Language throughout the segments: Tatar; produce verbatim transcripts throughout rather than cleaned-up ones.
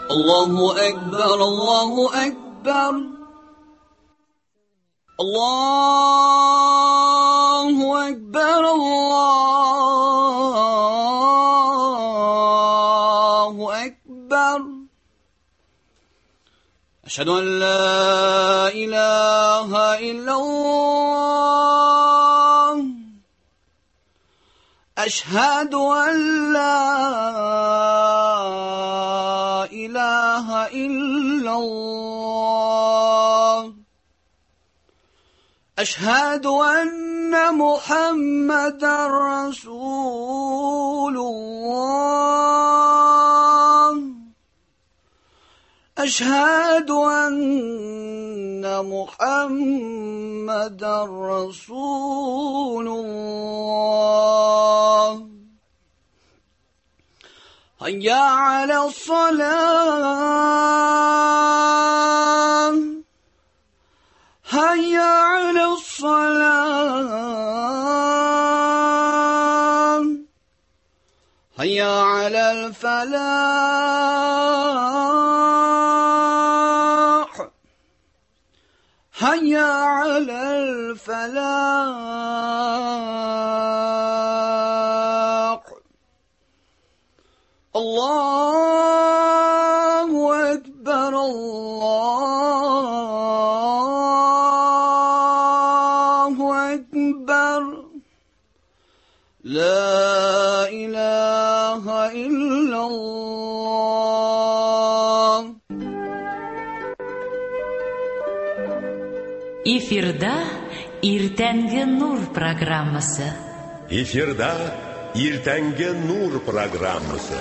الله أكبر الله أكبر الله أكبر الله أكبر أشهد أن لا إله إلا الله أشهد أن لا إله إلا الله أشهد أن محمدا رسول الله أشهد أن محمدا رسول الله هيا على الصلاة هيا على الصلاة هيا على الفلاح هيا على الفلاح الله أكبر الله أكبر لا إله إلا الله. Эфирда Иртәнге Нур программасы. Эфирда Иртәнге Нур программасы.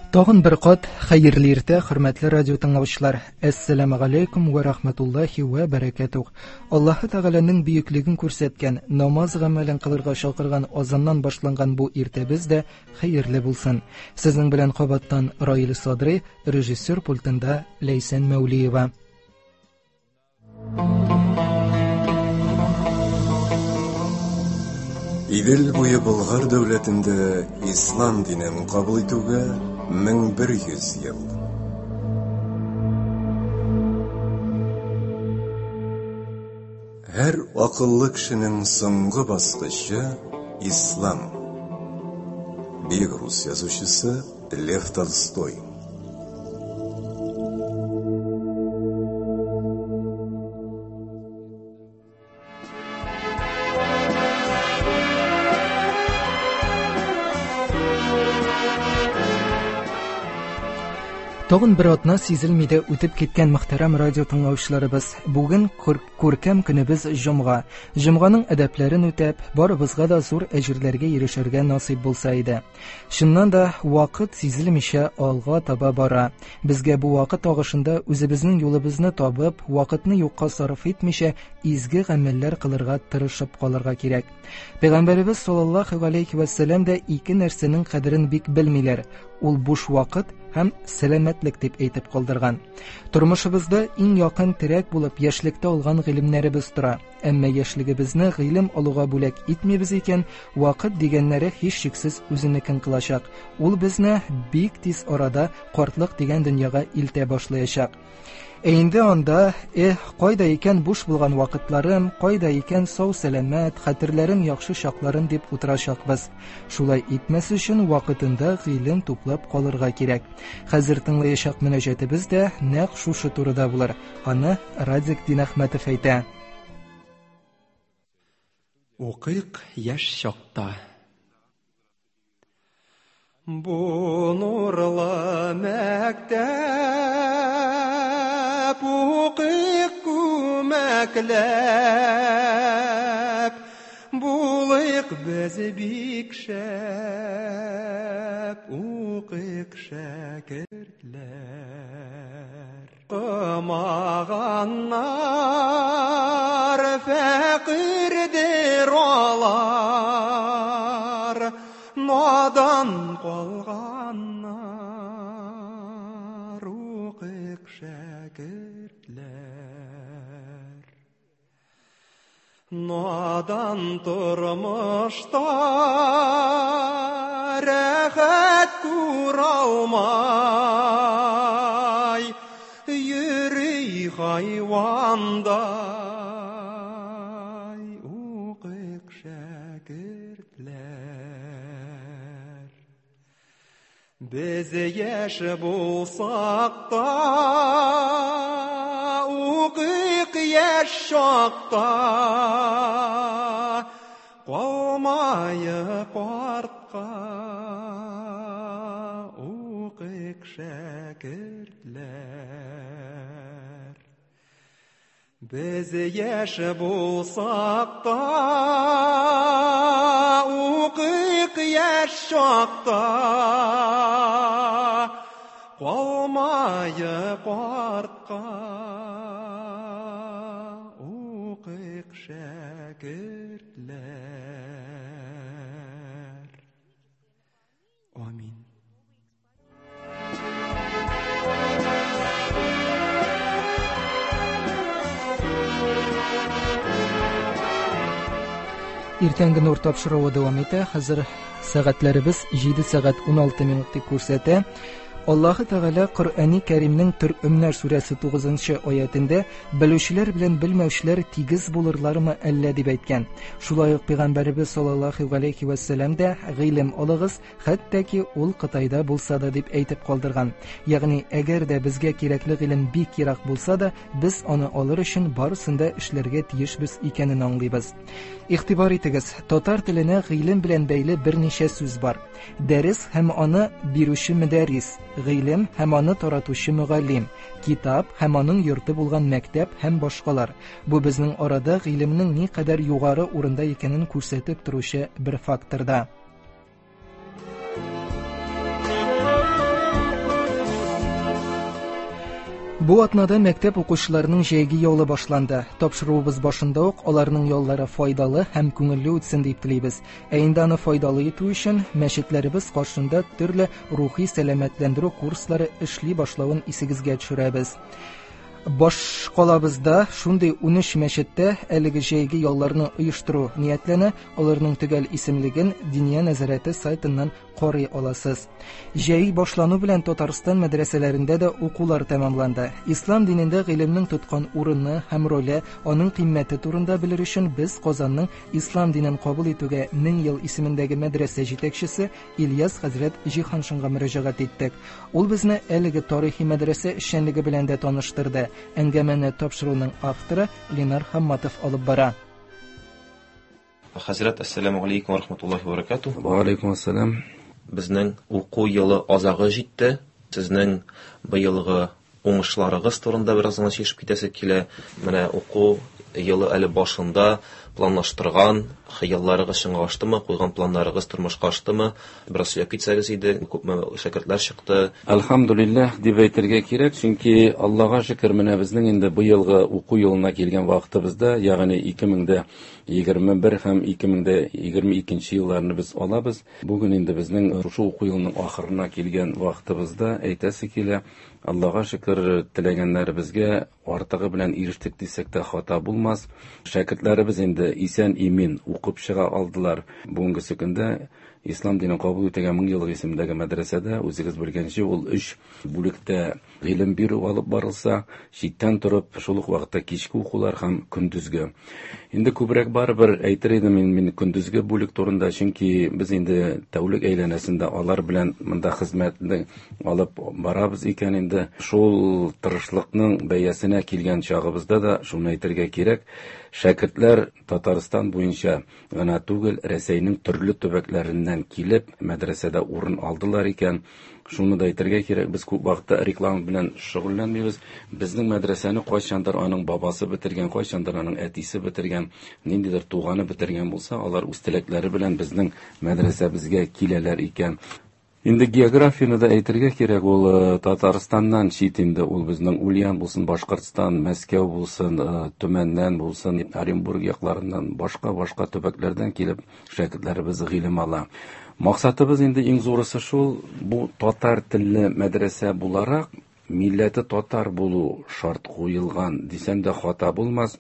Тагын бер кат хәерле иртә, хөрмәтле радио тыңлаучылар. Әссәламү галәйкүм вә рахматуллаһи вә бәрәкәтүһ. Аллаһы Тәгаләнең бөеклеген күрсәткән, намаз гамәлен кылырга чакырган азаннан башланган бу иртәбез дә хәерле булсын. Сезнең белән кабаттан Раил Садри, режиссер пультында Ләйсән Мәүлиева. Идел буе Болгар дәүләтендә ислам динен кабул итүгә мең бер йөз ел. Һәр акыллы кешенең соңгы баскычы ислам. Бөек рус язучысы Лев Толстой. Тагын бер атна сизелми дә үтеп киткән мөхтәрәм радио тыңлаучыларыбыз. Бүген күркәм көнебез җомга. Җомганың әдәпләрен үтәп, барыбызга да зур әҗерләргә ирешергә насыйп булса иде. Чыннан да вакыт сизелмичә алга таба бара. Безгә бу вакыт агышында үзебезнең юлыбызны табып, вакытны юкка сарыф итмичә изге гамәлләр кылырга тырышып калырга кирәк. Пәйгамбәребез саллаллаһу галәйһи вә сәлләм дә ике нәрсәнең кадерен бик белмиләр. Ул буш вакыт һәм сәламәтлек дип әйтеп калдырган. Тормышыбызда иң якын терәк булып яшьлектә алган гыйлемнәребез тора. Әмма яшьлегебезне гыйлем алуга бүләк итмибез икән, вакыт дигәннәре һичшиксез үзенекен кылачак. Ул безне бик тиз арада картлык дигән дөньяга илтә башлаячак. Ә инде анда, эх, кайда икән буш булган вакытларым, кайда икән сау сәламәт, хәтерләрем яхшы чакларым дип утырачакбыз. Шулай итмәс өчен вакытында гыйлем туплап калырга кирәк. Хәзер тыңлаячак мөнәҗәтебез дә нәкъ шушы турыда булыр. Аны Радик Динәхмәтов әйтә. Укыйк яшь чакта. Бу нурлы мәктәп укыйк күмәкләп, булыйк без бик шәп, укыйк шәкертләр. Укымаганнар фәкыйрьдер алар, надан калганнар. Шәкертләр. Надан тормышта рәхәт күралмай, йөри хайвандай. Укыйк, шәкертләр. Без яшь булсак та, укыйк яшь чакта, калмаек артка. Укыйк, шәкертләр. Без яшь булсак та, укыйк яшь чакта, калмаек артка. Укыйк, шәкертләр. Амин. Иртәнге нур тапшыруы дәвам итә. Хәзер сәгатьләребез җиде сәгать уналты минут дип күрсәтә. Аллаһы Тәгалә Коръәни Кәримнең Төркемнәр сүрәсе тугызынчы аятендә белүчеләр белән белмәүчеләр тигез булырлармы әллә дип әйткән. Шулай ук Пәйгамбәребез саллаллаһу галәйһи вә сәлләм дә гыйлем алыгыз, хәтта ки ул Кытайда булса да дип әйтеп калдырган. Ягъни, әгәр дә безгә кирәкле гыйлем бик ерак булса да, без аны алыр өчен барысын да эшләргә тиешбез икәнен аңлыйбыз. Игътибар итегез, татар теленә гыйлем белән бәйле берничә сүз бар. Дәрес һәм аны бирүче мөдәррис, гыйлем һәм аны таратучы мөгаллим, китап һәм аның йорты булган мәктәп һәм башкалар. Бу безнең арада гыйлемнең ни кадәр югары урында икәнен күрсәтеп торучы бер фактор да. Бу атнада мәктәп укучыларының җәйге ялы башланды. Тапшыруыбыз башында ук аларның яллары файдалы һәм күңелле үтсен дип телибез. Ә инде аны файдалы итү өчен мәчетләребез каршында төрле рухи сәламәтләндерү курслары эшли башлавын исегезгә төшерәбез. Баш калабызда шундый унөч мәчеттә әлеге җәйге ялларны оештыру ниятләнә. Аларның төгәл исемлеген Диния нәзарәте сайтыннан карый аласыз. Җәй башлану белән Татарстан мәдрәсәләрендә дә укулар тәмамланды. Ислам динендә гыйлемнең тоткан урыны һәм роле, аның кыйммәте турында белер өчен без Казанның Ислам динен кабул итүгә мең ел исемендәге мәдрәсә җитәкчесе Ильяс хәзрәт Җиһаншинга мөрәҗәгать иттек. Ул безне әлеге тарихи мәдрәсә эшчәнлеге белән дә таныштырды. Әңгәмәне тапшыруның авторы Ленар Хамматов алып бара. Хәзрәт, ассаламу алейкум ва рахматуллахи ва баракатуһ. Ва алейкум ассалам. Безнең уку елы азагы җитте. Сезнең быелгы уңышларыгыз турында бераз гына сөйләшеп китәсе килә. Менә уку елы әле башында планлаштырган хыялларыгыз чынга аштымы, куйган планнарыгыз тормышка аштымы? Бераз сөйләп китсәгез иде, күпме шәкертләр чыкты? Әлхәмдүлилләһ дип әйтергә кирәк, чөнки Аллаһка шөкер, менә безнең инде быелгы уку елына килгән вакытыбызда, ягъни ике мең дә егерме бер һәм ике мең дә егерме икенче елларны без алабыз. Бүген инде безнең шушы уку елының ахырына килгән вакытыбызда әйтәсе килә, Аллаһка шөкер, теләгәннәребезгә артыгы белән ирештек дисәк тә хата булмас. Шәкертләребез инде исән имин укып чыга алдылар. Бүгенге көндә Ислам динен кабул итүгә мең еллык исемендәге мәдрәсәдә үзегез белгәнчә ул өч бүлектә гыйлем бирү алып барылса, читтән торып шул ук вакытта кичке укулар һәм көндезге. Инде күбрәк барыбер әйтер идем мин, мин көндезге бүлек турында, чөнки без инде тәүлек әйләнәсендә алар белән монда хезмәтне алып барабыз икән инде. Шул тырышлыкның бәясенә килгән чагыбызда да шуны әйтергә кирәк, шәкертләр Татарстан буенча гына түгел, Рәсәйнең төрле төбәкләреннән килеп мәдрәсәдә урын алдылар икән. Шуны да әйтергә кирәк, без күп вакытта реклама белән шөгыльләнмибез. Безнең мәдрәсәне кайчандыр аның бабасы бетергән, кайчандыр аның әтисе бетергән, ниндидер туганы бетергән булса, алар үз теләкләре белән безнең мәдрәсәбезгә киләләр икән. Инде географияне дә әйтергә кирәк, ул Татарстаннан чит инде, ул безнең Ульян булсын, Башкортстан, Мәскәү булсын, Төмәннән булсын, Оренбург якларыннан, башка-башка төбәкләрдән килеп шәкертләребез гыйлем ала. Максатыбыз инде иң зурысы шул, бу татар телле мәдрәсә буларак, милләте татар булу шарт куелган дисәм дә хата булмас.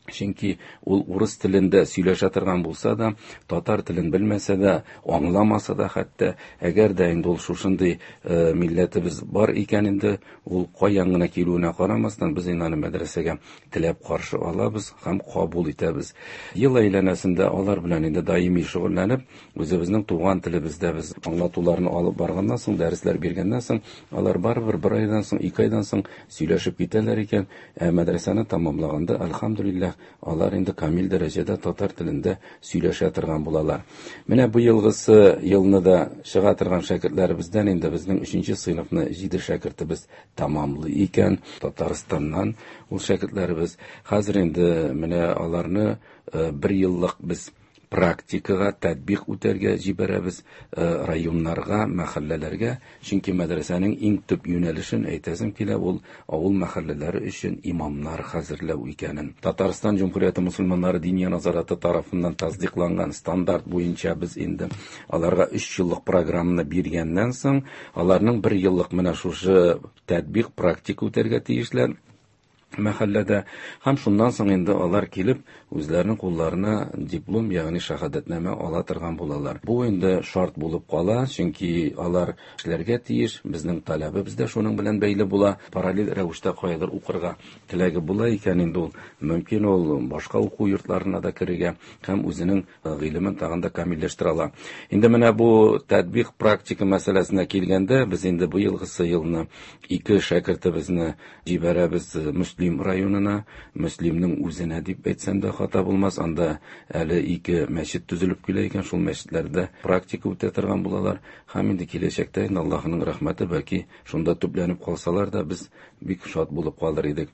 Чөнки ул урыс телендә сөйләшә торган булса да, татар телен белмәсә дә, аңламаса да хәтта, әгәр дә инде ул шушындый э, милләтебез бар икән инде, ул каян гына килүенә карамастан, без инде аны мәдрәсәгә теләп каршы алабыз һәм кабул итәбез. Ел әйләнәсендә алар белән инде даими шөгыльләнеп, үзебезнең туган телебездә без аңлатуларны алып барганнан соң, дәресләр биргәннән соң, алар барыбер бер айдан соң, ике айдан соң сөйләшеп китәләр икән. Ә мәдрәсәне тәмамлаганда, әлхәмдүлилләһ, алар инде камил дәрәҗәдә татар телендә сөйләшә торган булалар. Менә бу елгысы елны да чыга торган шәкертләребездән инде безнең өченче сыйныфны җиде шәкертебез тәмамлый икән. Татарстаннан ул шәкертләребез. Хәзер инде менә аларны э, бер еллык без практикага татбиқ үтәргә җибәрәбез, э, районнарга, мәхәлләләргә. Чөнки мәдрәсәнең иң төп юнәлешен әйтәсем килә, ул авыл мәхәлләләре өчен имамнар хәзерләү икәнен. Татарстан Җөмһүрияте мусульманнары Диния назараты тарафыннан тасдыйкланган стандарт буенча без инде аларга өч еллык программаны биргәннән соң, аларның бер еллык менә шушы татбиқ практика үтәргә тиешләр мәхәлләдә. Һәм шуннан соң инде алар килеп үзләренең кулларына диплом, ягъни шәһадәтнамә ала торган булалар. Бу инде шарт булып кала, чөнки алар эшләргә тиеш, безнең таләбебез дә шуның белән бәйле була. Параллель рәвештә каядыр укырга теләге була икән инде ул мөмкин ул башка уку йортларына да керергә һәм үзенең гыйлемен тагын да камилләштерә ала. Инде менә бу татбиқ практика мәсьәләсенә килгәндә, без инде бу елгысы елны ике шәкертебезне җибәрәбез Мөслим районына, Мөслимнең үзенә дип әйтсәм дә хата булмас. Анда әле ике мәчет төзелеп килә икән, шул мәчетләрдә практика үтә торган булалар. Һәм инде киләчәктә инде Аллаһның рәхмәте, бәлки шунда төпләнеп калсалар да без бик шат булып калыр идек.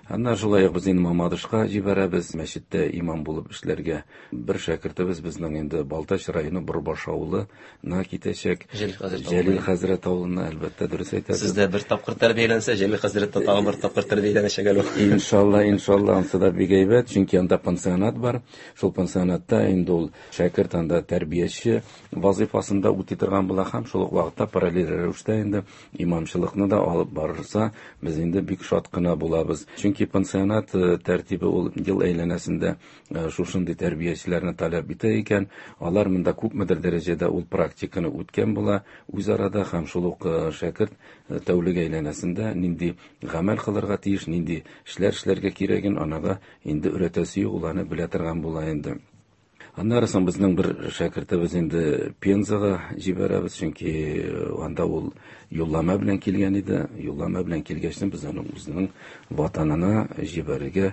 Аннан шулай ук без инде Мамадышка җибәрәбез, мәчеттә имам булып эшләргә. Бер шәкертебез безнең инде Балтач районы Борбаш авылына китәчәк. Җәлил хәзрәт Җәлил хәзрәт авылына, әлбәттә, дөрес әйтәсез. Сездә бер тапкыр тәрбияләнсә, Җәлил хәзрәттә тагын бер тапкыр тәрбияләнәчәк әле. Иншалла, иншалла, ансы да бик әйбәт, чөнки анда пансионат бар. Шул пансионатта инде ул шәкерт анда тәрбияче вазифасында үти торган була һәм шул ук вакытта параллель рәвештә инде имамчылыкны да алып барырса, без инде бик шат кына булабыз. Чөнки пансионат тәртибе ул ел әйләнәсендә шушындый тәрбиячеләрне таләп итә икән, алар монда күпмедер дәрәҗәдә ул практиканы үткән була үз арада һәм шул ук шәкерт тәүлек әйләнәсендә нинди гамәл кылырга тиеш, нинди эшләр эшләргә кирәген анага инде өйрәтәсе юк, ул аны белә торган була инде. Аннары соң безнең бер шәкертебез инде Пензага җибәрәбез, чөнки анда ул юллама белән килгән иде. Юллама белән килгәч, без аны үзенең ватанына җибәрергә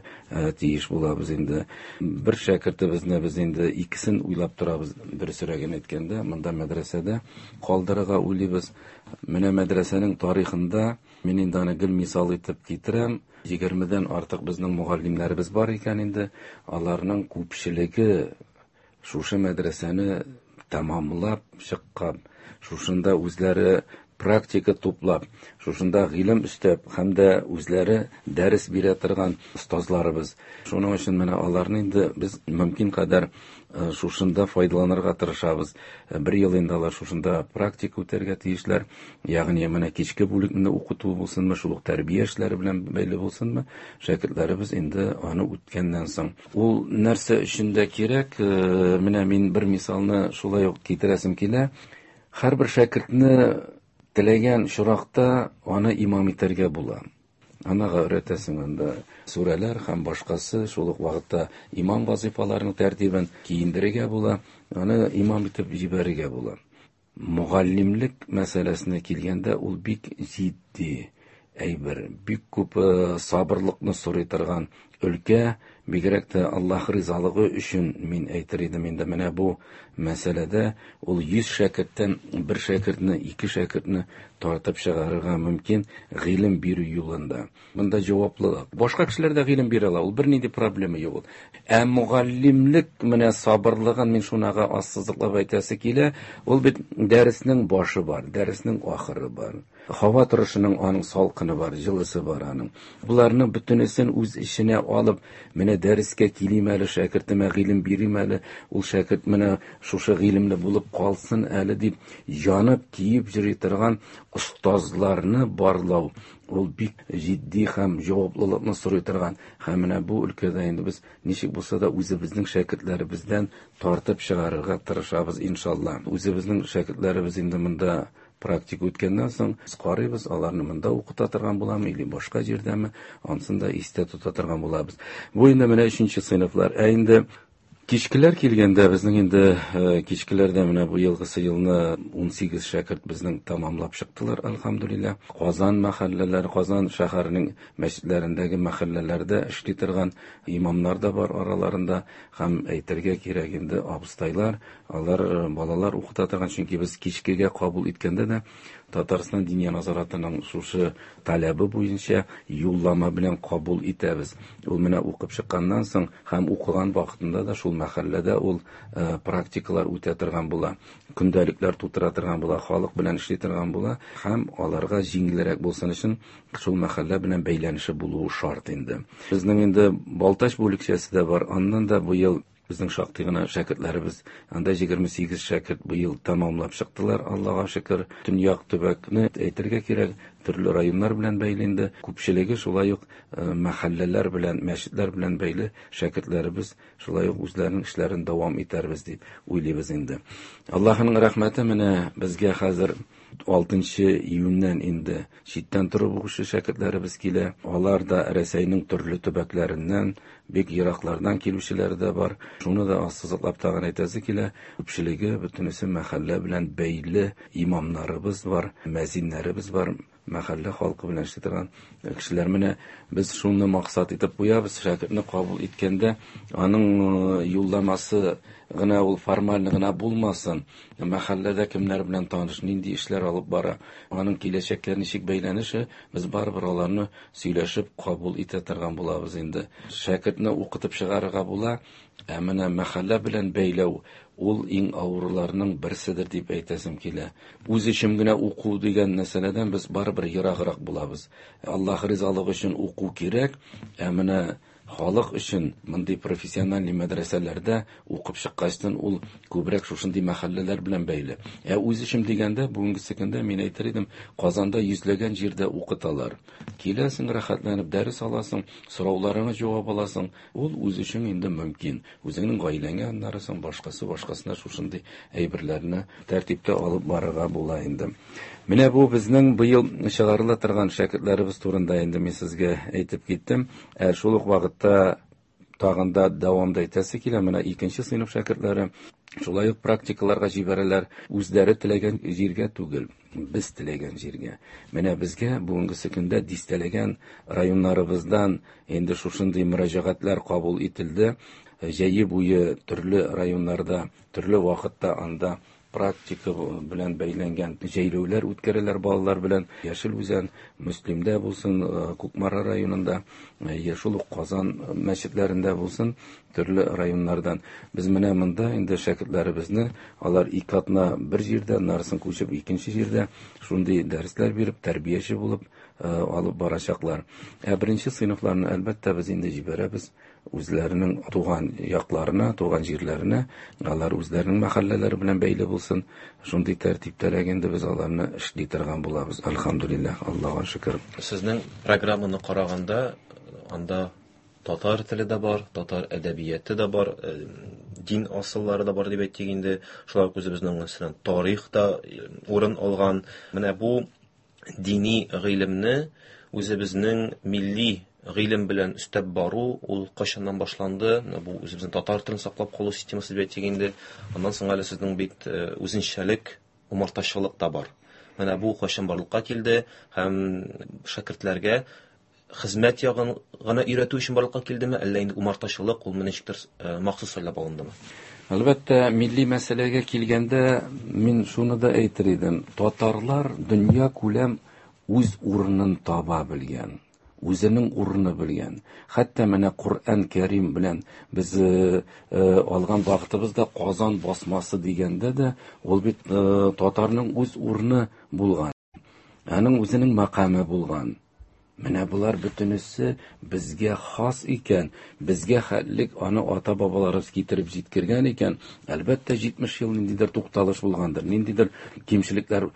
тиеш булабыз инде. Бер шәкертебезне без инде икесен уйлап торабыз, дөресрәген әйткәндә, монда мәдрәсәдә калдырырга уйлыйбыз. Менә мәдрәсәнең тарихында мин инде аны гел мисал итеп китерәм. Егермедән артык безнең мөгаллимнәребез бар икән инде. Аларның күпчелеге шушы мәдрәсәне тәмамлап чыккан, шушында үзләре практика туплап, шушында гыйлем өстәп һәм дә үзләре дәрес бирә торган остазларыбыз. Шуның өчен менә аларны инде без мөмкин кадәр шушында файдаланырга тырышабыз. Бер ел инде алар шушында практика үтәргә тиешләр. Ягъни менә кичке бүлекне укыту булсынмы, шул ук тәрбия эшләре белән бәйле булсынмы, шәкертләребез инде аны үткәннән соң. Ул нәрсә өчен дә кирәк? Менә мин бер мисалны шулай ук китерәсем килә. Һәрбер шәкертне теләгән чоракта аны имам итәргә була. Анага өйрәтәсең анда сүрәләр һәм башкасы, шул ук вакытта имам вазифаларының тәртибен киендерергә була, аны имам итеп җибәрергә була. Мөгаллимлек мәсьәләсенә килгәндә, ул бик җитди әйбер, бик күп сабырлыкны сорый торган өлкә, бигрәк тә Аллаһ ризалыгы өчен мин әйтер идем инде менә бу мәсьәләдә ул йөз шәкерттән бер шәкертне, ике шәкертне тартып чыгарырга мөмкин гыйлем бирү юлында. Монда җаваплылык. Башка кешеләр дә гыйлем бирә ала, ул бернинди проблема юк. Ә мөгаллимлек менә сабырлыгын мин шунага ассызыклап әйтәсе килә, ул бит дәреснең башы бар, дәреснең ахыры бар. Һава торышының аның салкыны бар, җылысы бар аның. Буларның бөтенесен үз эченә алып, менә дәрескә килим әле, шәкертемә гыйлем бирим әле, ул шәкерт менә шушы гыйлемле булып калсын әле дип янып киеп йөри торган остазларны барлау ул бик җитди һәм җаваплылыкны сорый торган. Һәм менә бу өлкәдә инде без ничек булса да үзебезнең шәкертләребездән тартып чыгарырга тырышабыз иншалла. Үзебезнең шәкертләребез инде монда практика үткәннән соң без карыйбыз, аларны монда укыта торган буламы или башка җирдәме, ансын да истә тота торган булабыз. Бу инде менә өченче сыйныфлар. Ә инде кичкеләр килгәндә безнең инде кичкеләрдә менә бу елгысы елны ун сигез шәкерт безнең тамамлап чыктылар, әлхәмдүлилләһ. Казан мәхәлләләре, Казан шәһәренең мәчетләрендәге мәхәлләләрдә эшли торган имамнар да бар араларында, һәм әйтергә кирәк инде абыстайлар, алар балалар укыта торган, чөнки без кичкегә кабул иткәндә дә Татарстан Диния назаратының шушы таләбе буенча юллама белән кабул итәбез. Ул менә укып чыкканнан соң һәм укыган вакытында да шул мәхәлләдә ул практикалар үтә торган була, көндәлекләр тутыра торган була, халык белән эшли торган була, һәм аларга җиңелрәк булсын өчен шул мәхәллә белән бәйләнеше булуы шарт инде. Безнең инде Балтач бүлекчәсе дә бар, аннан да быел безнең шактый гына шәкертләребез, анда егерме сигез шәкерт быел тәмамлап чыктылар, Аллага шөкер. Төньяк төбәкне әйтергә кирәк, төрле районнар белән бәйле инде, күпчелеге шулай ук мәхәлләләр белән, мәчетләр белән бәйле шәкертләребез шулай ук үзләренең эшләрен дәвам итәрбез дип уйлыйбыз инде. Аллаһының рәхмәте менә безгә хәзер алтынчы июньнән инде читтән торып укучы шәкертләребез килә. Алар да Рәсәйнең төрле төбәкләреннән, бик ераклардан килүчеләр дә бар. Шуны да ассызыклап тагын әйтәсе килә, күпчелеге бөтенесе мәхәллә белән бәйле имамнарыбыз бар, мәзиннәребез бар, мәхәллә халкы белән эшли торган кешеләр. Менә без шуны максат итеп куябыз, шәкертне кабул иткәндә аның юлламасы гына ул формаль гына булмасын, мәхәлләдә кемнәр белән таныш, нинди эшләр алып бара, аның киләчәккә ничек бәйләнеше, без барыбер аларны сөйләшеп кабул итә торган булабыз инде. Шәкертне укытып чыгарырга була, ә менә мәхәллә белән бәйләү ул иң авырларның берседер дип әйтәсем килә. Үз өчен генә уку дигән мәсьәләдән без барыбер ераграк булабыз. Аллаһ ризалыгы өчен уку кирәк, ә менә халык өчен мондый профессиональ мәдрәсәләрдә укып чыккачтан ул күбрәк шушындый мәхәлләләр белән бәйле. Ә үз эшем дигәндә, бүгенге көндә мин әйтер идем, Казанда йөзләгән җирдә укыталар. Киләсең, рәхәтләнеп дәрес аласың, сорауларыңа җавап аласың. Ул үз өчен инде мөмкин. Үзеңнең гаиләңә аннары соң башкасы башкасына шушындый әйберләрне тәртиптә алып барырга була инде. Менә бу безнең быел чыгарыла торган шәкертләребез турында инде мин сезгә әйтеп киттем. Ә шул ук вакытта тагын да дәвамда әйтәсе килә, менә икенче сыйныф шәкертләре шулай ук практикаларга җибәрәләр, үзләре теләгән җиргә түгел, без теләгән җиргә. Менә безгә бүгенге көндә дистәләгән районнарыбыздан инде шушындый мөрәҗәгатьләр кабул ителде. Җәйе буе төрле районнарда, төрле вакытта анда практика белән бәйләнгән җәйләүләр үткәрәләр балалар белән. Яшел Үзән, Мөслимдә булсын, Кукмара районында, шул ук Казан мәчетләрендә булсын, төрле районнардан. Без менә монда инде шәкертләребезне, алар ике атна бер җирдә, нарысын күчеп икенче җирдә шундый дәресләр биреп, тәрбияче булып алып барачаклар. Ә беренче сыйныфларны әлбәттә без инде җибәрәбез үзләренең туган якларына, туган җирләренә, алар үзләренең мәхәлләләре белән бәйле булсын. Шундый тәртиптәрәк инде без аларны эшли торган булабыз. Әлхәмдүлилләһ, Аллаһка шөкер. Сезнең программаны караганда, анда татар теле дә бар, татар әдәбияты да бар, дин асыллары да бар дип әйтик инде. Шулай ук үзебезнең мәсәлән тарих та урын алган. Менә бу дини гыйлемне үзебезнең милли гыйлем белән өстәп бару ул кайчаннан башланды? Менә бу үзебезнең татар телен саклап калу системасы дип әйтик инде. Аннан соң әле сезнең бит үзенчәлек, умартачылык та бар. Менә бу кайчан барлыкка килде һәм шәкертләргә хезмәт ягын гына өйрәтү өчен барлыкка килдеме, әллә инде умартачылык ул ничектер махсус сайлап алындымы? Әлбәттә, милли мәсьәләгә килгәндә мин шуны да әйтер идем. Татарлар дөнья күләм үз урынын таба белгән, үзенең урыны белгән. Хәтта менә Коръән Кәрим белән без алган вакытыбызда Казан басмасы дигәндә дә ул бит татарның үз урыны булган. Аның үзенең мәкаме булган. Менә болар бөтенесе безгә хас икән, безгә хәтлек аны ата-бабаларыбыз китереп җиткергән икән. Әлбәттә, җитмеш ел ниндидер тукталыш булгандыр, ниндидер кимчелекләр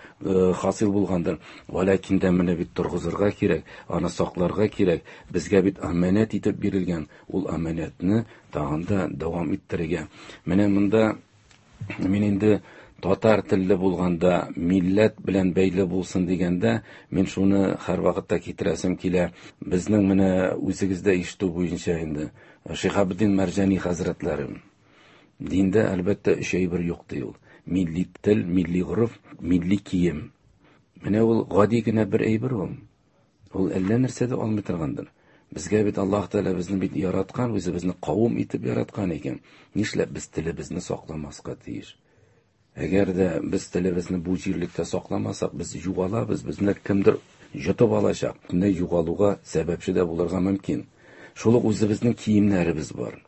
хасил булгандыр. Вәләкин дә менә бит торгызырга кирәк, аны сакларга кирәк. Безгә бит аманәт итеп бирелгән, ул аманәтне тагын да дәвам иттерергә. Менә монда мин инде татар телле булганда, милләт белән бәйле булсын дигәндә, мин шуны һәр вакытта китерәсем килә. Безнең менә үзегездә ишетү буенча инде Шиһабетдин Мәрҗани хәзрәтләре диндә әлбәттә өч әйбер юк ди ул. Милли тел, милли гореф, милли кием. Менә ул гади генә бер әйбер ул. Ул әллә нәрсә дә алмый торгандыр. Безгә бит Аллаһ Тәгалә безне бит яраткан, үзе безне кавым итеп яраткан икән. Нишләп без телебезне сакламаска тиеш? Әгәр дә без телебезне бу җирлектә сакламасак, без югалабыз, безне кемдер йотып алачак. Менә югалуга сәбәпче дә булырга мөмкин. Шул ук үзебезнең киемнәребез бар.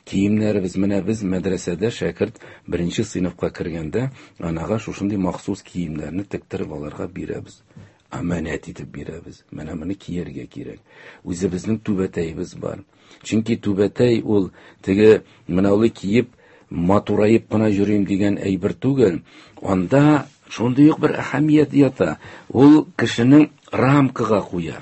Киемнәребез, менә без мәдрәсәдә шәкерт беренче сыйныфка кергәндә, анага шушындый махсус киемнәрне тектереп аларга бирәбез. Аманәт итеп бирәбез. Менә моны кияргә кирәк. Үзебезнең түбәтәебез бар. Чөнки түбәтәй ул теге менә ул киеп матураеп кына йөрим дигән әйбер түгел. Анда шундый ук бер әһәмият ята. Ул кешенең рамкага куя.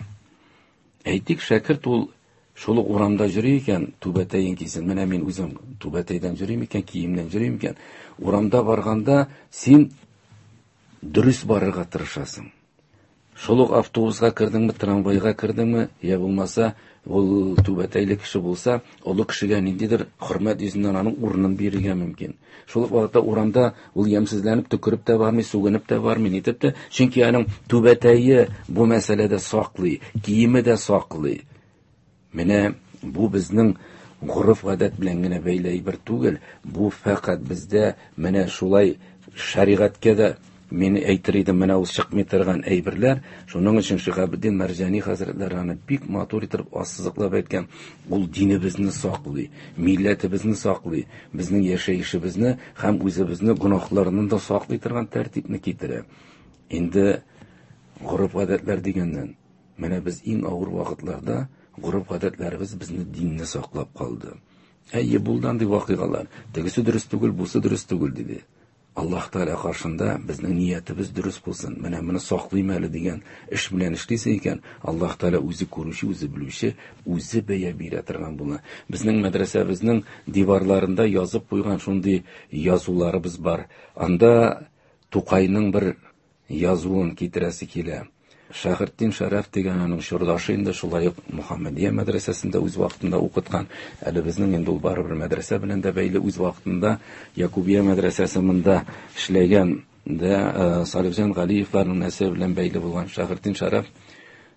Әйтик, шәкерт ул шул ук урамда йөри икән, түбәтәен кисен. Менә мин үзем түбәтәйдән йөрим икән, киемнән йөрим икән. Урамда барганда син дөрес барырга тырышасың. Шул ук автобуска кердеңме, трамвайга кердеңме, я булмаса, ул түбәтәйле кеше булса, олы кешегә ниндидер хөрмәт йөзеннән аның урынын бирергә мөмкин. Шул ук вакытта урамда ул ямьсезләнеп төкереп тә бармый, сүгенеп тә бармый, нитеп тә, чөнки аның түбәтәе бу мәсьәләдә саклый, киеме дә саклый. Менә бу безнең гореф-гадәт белән генә бәйле әйбер түгел, бу фәкать бездә менә шулай шәригатькә дә мин әйтер идем, менә ул чыкмый торган әйберләр. Шуның өчен Шиһабетдин Мәрҗани хәзрәтләре аны бик матур итеп ассызыклап әйткән. Ул динебезне саклый, милләтебезне саклый, безнең яшәешебезне һәм үзебезне гөнаһларыннан да саклый торган тәртипне китерә. Инде гореф-гадәтләр дигәннән, менә без иң авыр вакытларда гореф-гадәтләребез безне динне саклап калды. Әйе, булды андый вакыйгалар. Тегесе дөрес түгел, бусы дөрес түгел диде. Аллаһ Тәгалә каршында безнең ниятебез дөрес булсын. Менә моны саклыйм әле дигән эш белән эшлисең икән, Аллаһ Тәгалә үзе күрүче, үзе белүче, үзе бәя бирә торган була. Безнең мәдрәсәбезнең диварларында язып куйган шундый язуларыбыз бар. Анда Тукайның бер язуын китерәсе килә. Шәһретдин Шәрәф дигән аның чордашы инде шулай ук Мөхәммәдия мәдрәсәсендә үз вакытында укыткан. Әле безнең инде ул барыбер мәдрәсә белән дә бәйле, үз вакытында Якубия мәдрәсәсе монда эшләгән дә Салихҗан Галиевларның нәселе белән бәйле булган Шәһретдин Шәрәф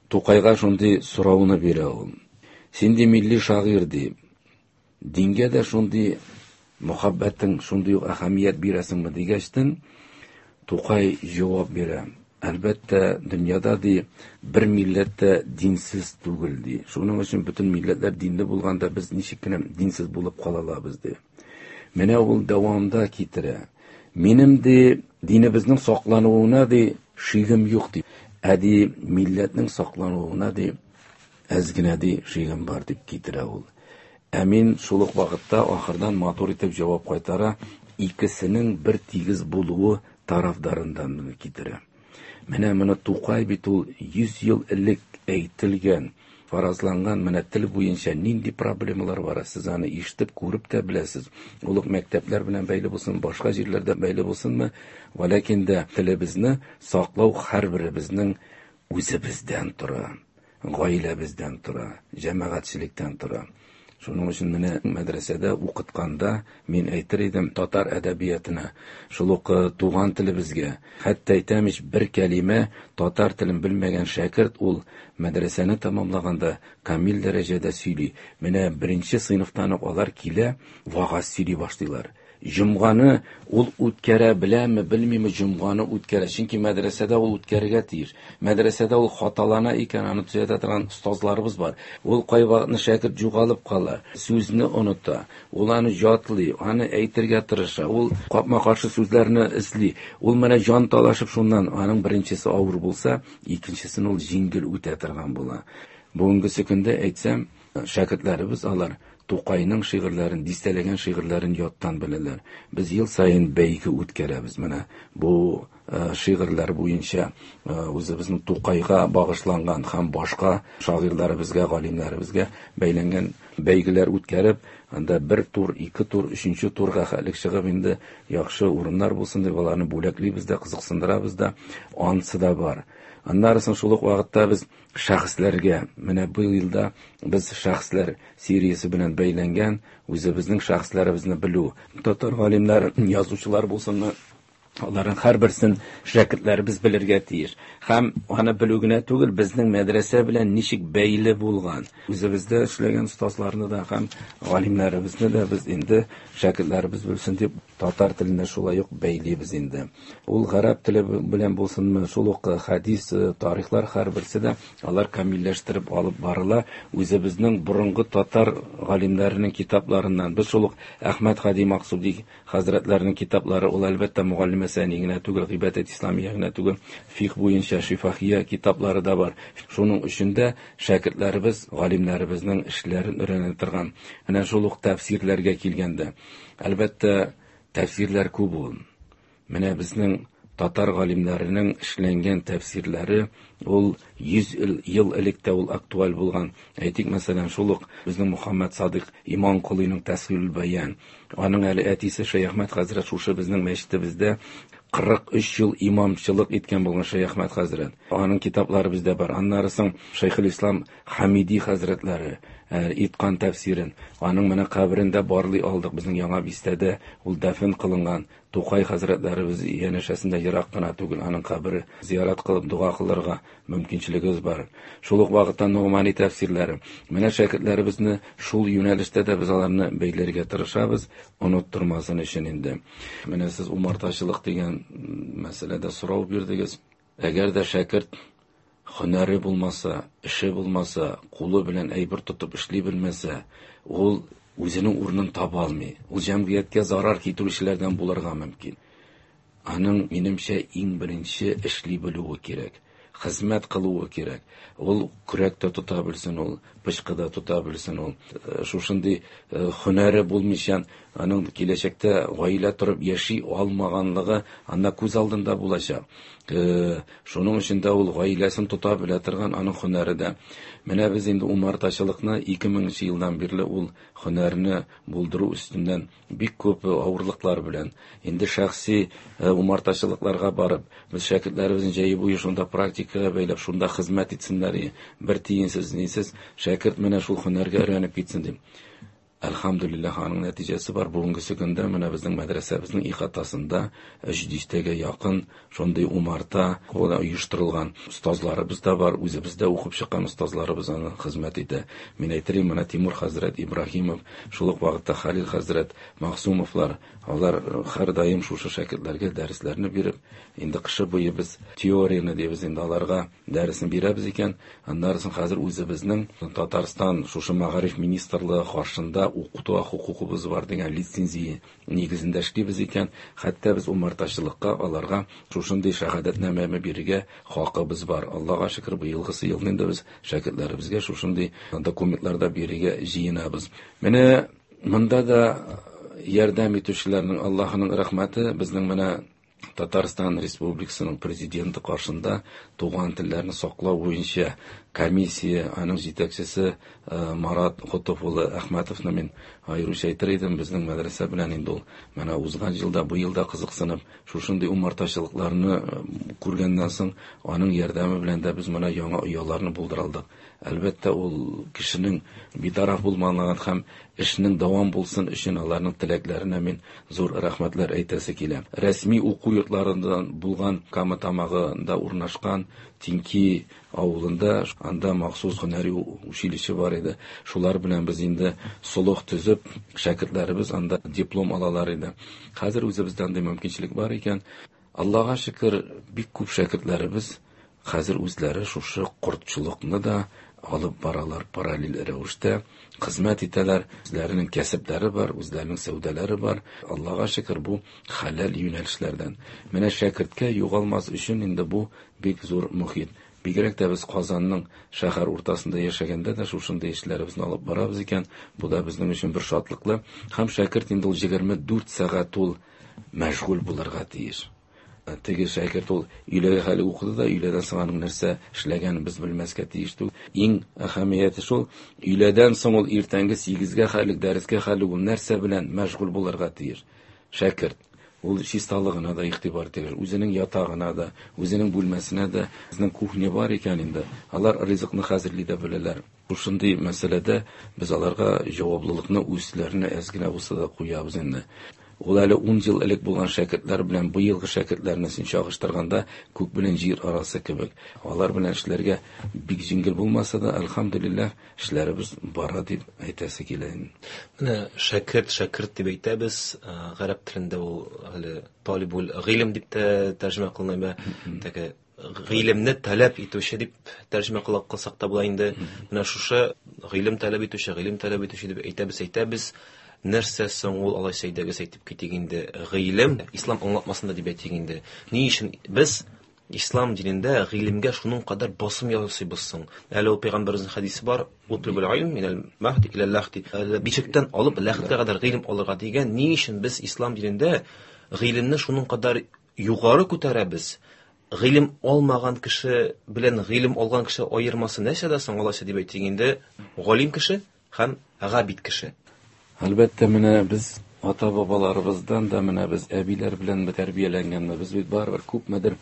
Тукайга шундый сорауны бирә ул. Син ди милли шагыйрь ди. Дингә дә шундый мөхәббәтең, шундый ук әһәмият бирәсеңме дигәчтен, Тукай җавап бирә. Әлбәттә, дөньяда ди бер милләт тә динсез түгел ди. Шуның өчен бөтен милләтләр динле булганда без ничек кенә динсез булып кала алабыз ди. Менә ул дәвамда китерә. Минем ди динебезнең саклануына ди шигем юк ди. Ә ди милләтнең саклануына ди әз генә ди шигем бар дип китерә ул. Ә мин шул ук вакытта ахырдан матур итеп җавап кайтара, икесенең бер тигез булуы тарафдарындан моны китерә. Менә моны Тукай бит ул йөз ел элек әйтелгән, фаразланган менә тел буенча нинди проблемалар бар, сез аны ишетеп, күреп тә беләсез. Ул ук мәктәпләр белән бәйле булсын, башка җирләрдә бәйле булсынмы, вәләкин дә телебезне саклау һәрберебезнең үзебездән тора, гаиләбездән тора, җәмәгатьчелектән тора. Шуның өчен менә мәдрәсәдә укытканда мин әйтер идем татар әдәбиятына, шул ук туган телебезгә, хәтта әйтәм ич, бер кәлимә татар телен белмәгән шәкерт ул мәдрәсәне тәмамлаганда камил дәрәҗәдә сөйли. Менә беренче сыйныфтан ук алар килә, вагаз сөйли башлыйлар. Җомганы ул үткәрә беләме, белмиме, җомганы үткәрә. Чөнки мәдрәсәдә ул үткәрергә тиеш. Мәдрәсәдә ул хаталана икән, аны төзәтә торган остазларыбыз бар. Ул кайвакытны шәкерт югалып кала, сүзне оныта, ул аны ятлый, аны әйтергә тырыша, ул капма-каршы сүзләрне эзли. Ул менә җан талашып шуннан, аның беренчесе авыр булса, икенчесен ул җиңел үтә торган була. Бүгенгесе көндә әйтсәм, шәкертләребез алар Тукайның шигырьләрен, дистәләгән шигырьләрен яттан беләләр. Без ел саен бәйге үткәрәбез. Менә бу шигырьләр буенча үзебезнең Тукайга багышланган һәм башка шагыйрьләребезгә, галимнәребезгә бәйләнгән бәйгеләр үткәреп, анда бер тур, ике тур, өченче турга хәлек чыгып инде яхшы урыннар булсын дип аларны бүләклибез дә, кызыксындырабыз да, ансы да бар. Аннары соң шул ук вакытта без шәхесләргә, менә бу елда без шәхесләр сериясе белән бәйләнгән үзебезнең шәхесләребезне белү, татар галимнәр, язучылар булсынмы, аларның һәрберсен шәкертләребез белергә тиеш. Һәм аны белү генә түгел, безнең мәдрәсә белән ничек бәйле булган. Үзебездә эшләгән остазларны да һәм галимнәребезне дә без инде шәкертләребез белсен дип татар теленә шулай ук бәйлибез инде. Ул гарәп теле белән булсынмы, шул ук хадис, тарихлар һәрберсе дә алар камилләштереп алып барыла. Үзебезнең борынгы татар галимнәренең китапларыннан. Без шул ук Әхмәт Һади Максуди хәзрәтләренең китаплары, ул әлбәттә мөгаллимә сәни генә түгел, гыйбадәт исламия генә түгел, фикх буенча шифахия китаплары да бар. Шуның өчен дә шәкертләребез галимнәребезнең эшләрен өйрәнә торган. Менә шул ук тәфсирләргә килгәндә, әлбәттә, тәфсирләр күп ул. Менә безнең татар галимнәренең эшләнгән тәфсирләре ул йөз ел элек тә ул актуаль булган. Әйтик, мәсәлән, шул ук безнең Мөхәммәд Садыйк Иманколыйның Тәсхилул Баян. Аның әле әтисе Шәяхмәт хәзрәт шушы безнең мәчетебездә кырык өч ел имамчылык иткән булган Шәяхмәт хәзрәт. Аның китаплары бездә бар. Аннары соң Шәйхул Ислам Хамиди хәзрәтләре иткан тәфсирен. Аның менә каберендә барлый алдык. Безнең яңа бистәдә ул дәфен кылынган. Тукай хәзрәтләребез янәшәсендә ерак кына түгел, аның кабере зиярат кылып дога кылырга мөмкинчелегебез бар. Шул ук вакытта Ногмани тәфсирләре. Менә шәкертләребезне шул юнәлештә дә без аларны бәйләргә тырышабыз, оныттырмасын өчен инде. Менә сез умартачылык дигән мәсьәләдә сорау бирдегез. Әгәр дә шәкерт һөнәре булмаса, эше булмаса, кулы белән әйбер тотып эшли белмәсә, ул үзенең урынын таба алмый. Ул җәмгыятькә зарар китерүчеләрдән булырга мөмкин. Аның, минемчә, иң беренче эшли белүе кирәк, хезмәт кылуы кирәк. Ул көрәк тә тота белсен, ул пычкы да тота белсен, ул шушындый һөнәре булмыйча, аның киләчәктә гаилә торып яши алмаганлыгы анда күз алдында булачак. Шуның өчен дә ул гаиләсен тота белә торган аның һөнәре дә. Менә без инде умартачылыкны ике меңенче елдан бирле ул һөнәрне булдыру өстеннән бик күп авырлыклар белән инде шәхси умартачылыкларга барып, без шәкертләребезне җәй буе шунда практикага бәйләп, шунда хезмәт итсеннәр, бер тиенсез, нисез шәкерт менә шул һөнәргә өйрәнеп китсен дип. Әлхәмдүлилләһ, аның нәтиҗәсе бар. Бүгенге көндә менә безнең мәдрәсәбезнең ихатасында өч дистәгә якын шундый умарта оештырылган. Остазларыбыз да бар, үзебез дә укып чыккан остазларыбыз аны хезмәт итә. Мин әйтер идем, менә Тимур хәзрәт Ибраһимов, шул ук вакытта Халил хәзрәт Мәгъсумовлар, алар һәрдаим шушы шәкертләргә дәресләрне биреп, инде кышы буе без теорияне дибез, инде аларга дәресен бирәбез икән. Аннары соң хәзер үзебезнең Татарстан шушы мәгариф министрлыгы каршында укыту хокукыбыз бар дигән лицензия нигезендә эшлибез икән, хәтта без умартачылыкка аларга шушындый шәһадәтнамәне бирергә хакыбыз бар. Аллаһка шөкер, быелгысы елны инде без шәкертләребезгә шушындый документлар да бирергә җыенабыз. Менә монда да ярдәм итүчеләрнең Аллаһның рәхмәте, безнең менә Татарстан Республикасының президенты каршында туган телләрне саклау буенча комиссия, аның җитәкчесе Марат Котов улы Әхмәтовны мин аеруча әйтер идем. Безнең мәдрәсә белән инде ул менә узган елда, бу елда кызыксынып, шушындый умартачылыкларны күргәннән соң, аның ярдәме белән дә без менә яңа ояларны булдыра алдык. Әлбәттә, ул кешенең битараф булмаган һәм эшнең дәвам булсын өчен аларның теләкләренә мин зур рәхмәтләр әйтәсе килә. Рәсми уку йортларыннан булган Кама Тамагында урнашкан Тинки авылында, анда махсус һөнәри училище бар иде. Шулар белән без инде солых төзеп, шәкертләребез анда диплом алалар иде. Хәзер үзебездә андый мөмкинчелек бар икән. Аллага шөкер, бик күп шәкертләребез хәзер үзләре шушы кортчылыкны да алып баралар, параллель рәвештә хезмәт итәләр. Үзләренең кәсепләре бар, үзләренең сәүдәләре бар. Аллага шөкер, бу хәләл юнәлешләрдән. Менә шәкерткә югалмас өчен инде бу бик зур мөхит. Бигрәк тә без Казанның шәһәр уртасында яшәгәндә дә шушындый эшләребезне алып барабыз икән. Бу да безнең өчен бер шатлыклы. Һәм шәкерт инде ул егерме дүрт сәгать ул мәшгуль булырга тиеш. Теге шәкерт ул өйләгә хәле укыды да, өйләдән соң аның нәрсә эшләгәнен без белмәскә тиеш түгел. Иң әһәмияте шул, өйләдән соң ул иртәнге сигезгә хәлек, дәрескә хәлек ул нәрсә белән мәшгуль булырга тиеш. Шәкерт ул чисталыгына да игътибар итә, үзенең ятагына да, үзенең бүлмәсенә дә. Безнең кухня бар икән инде, алар ризыкны хәзерли дә беләләр. Шушындый мәсьәләдә без аларга җаваплылыкны үзләренә әз генә булса да куябыз инде. Ул әле ун ел элек булган шәкертләр белән быелгы шәкертләрне син чагыштырганда күк белән җир арасы кебек. Алар белән эшләргә бик җиңел булмаса да, әлхәмдүлилләһ, эшләребез бара дип әйтәсе килә инде. Менә шәкерт, шәкерт дип әйтәбез, гарәп телендә ул әле талибул гыйлем дип тә тәрҗемә кылына, теге гыйлемне таләп итүче дип тәрҗемә кылсак та була инде. Менә шушы гыйлем таләп итүче, гыйлем таләп итүче дип әйтәбез, әйтәбез. Нәрсә соң ул, алайса әйдәгез әйтеп китик инде, гыйлем ислам аңлатмасында дип әйтик инде. Ни өчен без ислам динендә гыйлемгә шуның кадәр басым ясыйбыз соң? Әле ул пәйгамбәребезнең хәдисе бар, утлубул илм минәл мәһди илә ләхди. Әле бишектән алып ләхткә кадәр гыйлем алырга дигән. Ни өчен без ислам динендә гыйлемне шуның кадәр югары күтәрәбез? Гыйлем алмаган кеше белән гыйлем алган кеше аермасы нәрсәдә соң, алайса дип әйтик инде, галим кеше һәм габид кеше. Әлбәттә, менә без ата-бабаларыбыздан да, менә без әбиләр белән тәрбияләнгәнбез. Без бит барыбер күпмедер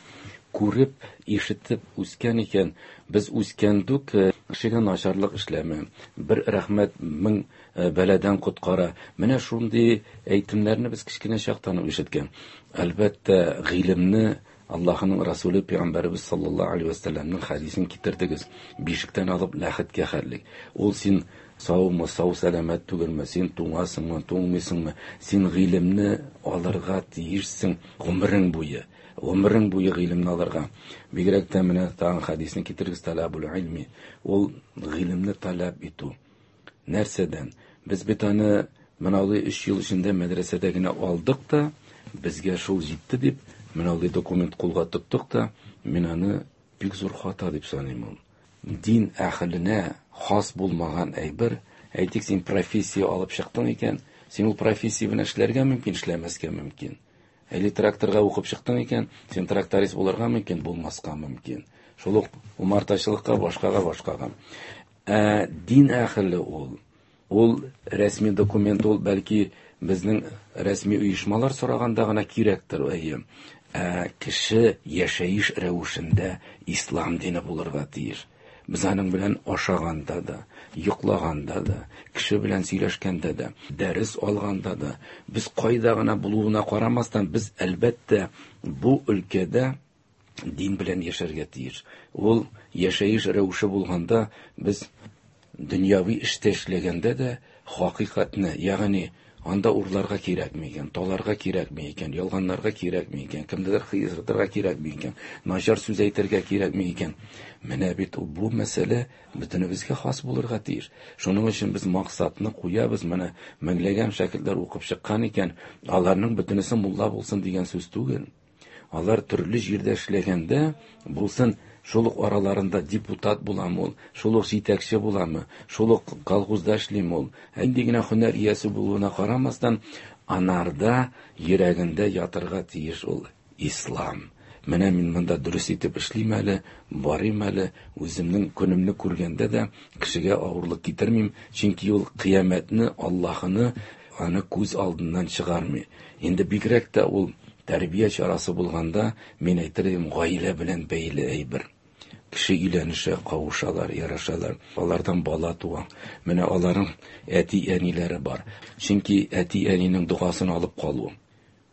күреп, ишетеп үскән икән. Без үскәндүк, кешегә начарлык эшләмә, бер рәхмәт мең бәладән коткара. Менә шундый әйтемнәрне без кечкенә чактан ук ишеткән. Әлбәттә, гыйлемне Аллаһының Расулы Пәйгамбәребез саллаллаһу алейһи ва сәлләмнең хәдисен китердегез. Бишектән алып ләхеткә хәллек. Ул син саумы, сау сәламәт түгелме, син туңасыңмы, туңмыйсыңмы, син гыйлемне алырга тиешсең гомерең буе. Гомерең буе гыйлемне алырга. Бигрәк тә менә тагын хәдисне китерегез, талабул илми. Ул гыйлемне таләп итү. Нәрсәдән? Без бит аны менә алай өч ел эчендә мәдрәсәдә генә алдык та, безгә шул җитте дип, менә алай документ кулга тоттык та, мин аны бик зур хата дип саныйм ул. Дин әһеленә хас булмаган әйбер, әйтик, син профессия алып чыктың икән, син ул профессия белән эшләргә мөмкин, эшләмәскә мөмкин. Әле тракторга укып чыктың икән, син тракторист булырга мөмкин, булмаска мөмкин. Шул ук умартачылыкка, башкага, башкага. Ә дин әһеле ул, ул рәсми документ ул, бәлки безнең рәсми оешмалар сораганда гына кирәктер, әйе. Ә кеше яшәеш рәвешендә ислам дине булырга тиеш. Без аның белән ашаганда да, йоклаганда да, кеше белән сөйләшкәндә дә, дәрес алганда да, без кайда гына булуына карамастан, без әлбәттә бу өлкәдә дин белән яшәргә тиеш. Ул яшәеш рәвеше булганда, без дөньяви эштә эшләгәндә дә хакыйкатьне, ягъни анда урларга кирәкме икән, таларга кирәкме икән, ялганларга кирәкме икән, кемдедер хыянәтләргә кирәкме икән, начар сүз әйтергә кирәкме икән. Менә бит ул бу мәсьәлә бөтенебезгә хас булырга тиеш. Шуның өчен без максатны куябыз. Менә меңләгән шәкертләр укып чыккан икән, аларның бөтенесе мулла булсын дигән сүз түгел. Алар төрле җирдә эшләгәндә булсын, шул ук араларында депутат буламы ул, шул ук җитәкче буламы, шул ук колхозда эшлиме ул, нинди генә һөнәр иясе булуына карамастан, анарда йөрәгендә ятырга тиеш ул ислам. Менә мин монда дөрес итеп эшлим әле, барыйм әле, үземнең көнемне күргәндә дә кешегә авырлык китермим, чөнки ул кыямәтне, Аллаһыны аны күз алдыннан чыгармый. Инде бигрәк тә ул тәрбия чарасы булганда, мин әйтер идем, гаилә белән бәйле әйбер. Кеше өйләнешә, кавышалар, ярашалар, алардан бала туа. Менә аларның әти-әниләре бар. Чөнки әти-әнинең догасын алып калу.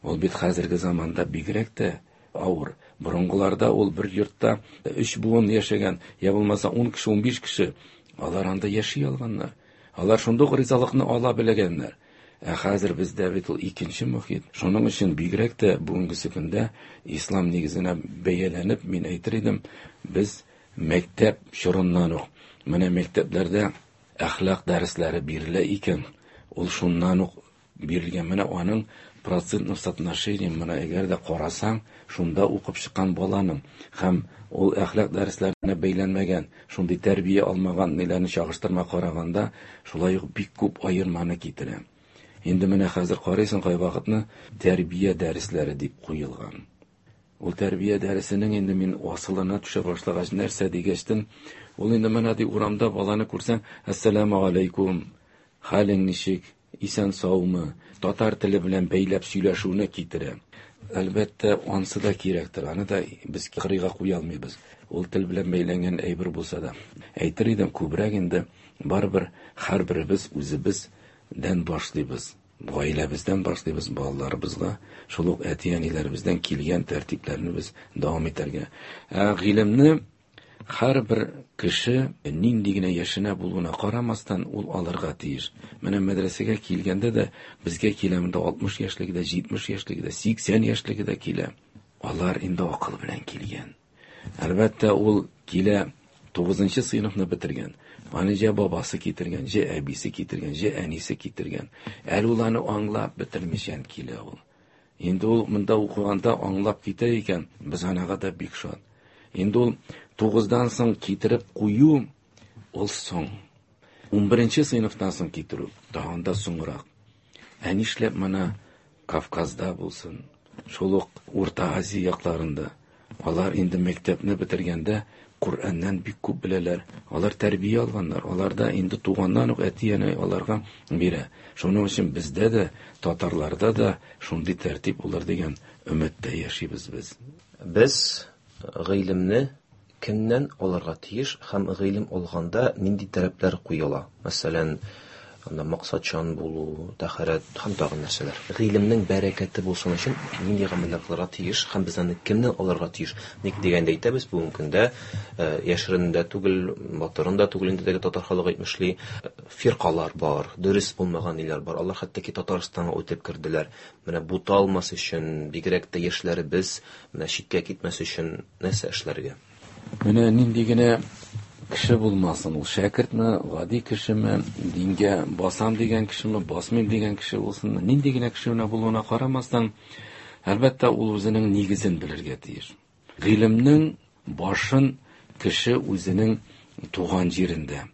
Ул бит хәзерге заманда бигрәк тә авыр. Борынгыларда ул бер йортта өч буын яшәгән, я булмаса ун кеше, унбиш кеше, алар анда яши алганнар. Алар шундук ризалыкны ала белгәннәр. Ә хәзер бездә бит ул икенче мохит. Шуның өчен бигрәк тә бүгенге көндә ислам нигезенә бәяләнеп, мин әйтер идем, без мәктәп чорыннан ук, менә мәктәпләрдә әхлак дәресләре бирелә икән, ул шуннан ук бирелгән. Менә аның процентный соотношение, менә әгәр дә карасаң, шунда укып чыккан баланың һәм ул әхлак дәресләренә бәйләнмәгән, шундый тәрбия алмаган ниләрне чагыштырма караганда, шулай ук бик күп аерманы китерә. Инде менә хәзер карыйсың, кайвакытны тәрбия дәресләре дип куелган. Ул тәрбия дәресенең инде мин асылына төшә башлагач, нәрсә дигәчтен, ул инде менә ди урамда баланы күрсәң, әссәламү алейкум, хәлең ничек, исән саумы, татар теле белән бәйләп сөйләшүне китерә. Әлбәттә, ансы да кирәктер, аны да без кырыйга куя алмыйбыз. Ул тел белән бәйләнгән әйбер булса да. Әйтер идем, күбрәк инде барыбер һәрберебез үзебездән башлыйбыз. Гаиләбездән башлыйбыз, балаларыбызга, шул ук әти-әниләребездән килгән тәртипләрне без дәвам итәргә. Ә гыйлемне һәрбер кеше нинди генә яшенә булуына карамастан ул алырга тиеш. Менә мәдрәсәгә килгәндә дә безгә килә монда алтмыш яшьлеге дә, җитмеш яшьлеге дә, сиксән яшьлеге дә килә. Алар инде акыл белән килгән. Әлбәттә, ул килә тугызынчы сыйныфны бетергән. Аны җә бабасы китергән, җә әбисе китергән, җә әнисе китергән. Әле ул аны аңлап бетермичән килә ул. Инде ул монда укыганда аңлап китә икән, без анага да бик шат. Инде ул тугыздан соң китереп кую ул соң. Унберенче сыйныфтан соң китерү тагын да соңрак. Ә нишләп менә Кавказда булсын, шул ук Урта Азия якларында алар инде мәктәпне бетергәндә Коръәннән бик күп беләләр. Алар тәрбия алганнар. Алар да инде туганнан ук әти-әни аларга бирә. Шуның өчен бездә дә, татарларда да шундый тәртип булыр дигән өметтә яшибез без. Без гыйлемне кемнән алырга тиеш һәм гыйлем алганда нинди таләпләр куела? Мәсәлән, анда максатчан булу, тәһарәт һәм тагын нәрсәләр. Гыйлемнең бәрәкәте булсын өчен нинди гамәлләр кылырга тиеш һәм без аны кемнән алырга тиеш? Ник дигәндә әйтәбез, бүгенге көндә, э, яшерен дә түгел, батырын да түгел инде теге татар халыгы әйтмешли, фиркалар бар, дөрес булмаган ниләр бар. Алар хәтта ки Татарстанга үтеп керделәр. Менә буталмас өчен, бигрәк тә яшьләребез менә читкә китмәс өчен нәрсә эшләргә? Менә нинди генә кеше булмасын, ул шәкертме, гади кешеме, дингә басам дигән кешеме, басмыйм дигән кеше булсынмы, нинди генә кеше генә булуына карамастан, әлбәттә, ул үзенең нигезен белергә тиеш. Гыйлемнең башын кеше үзенең туган җирендә.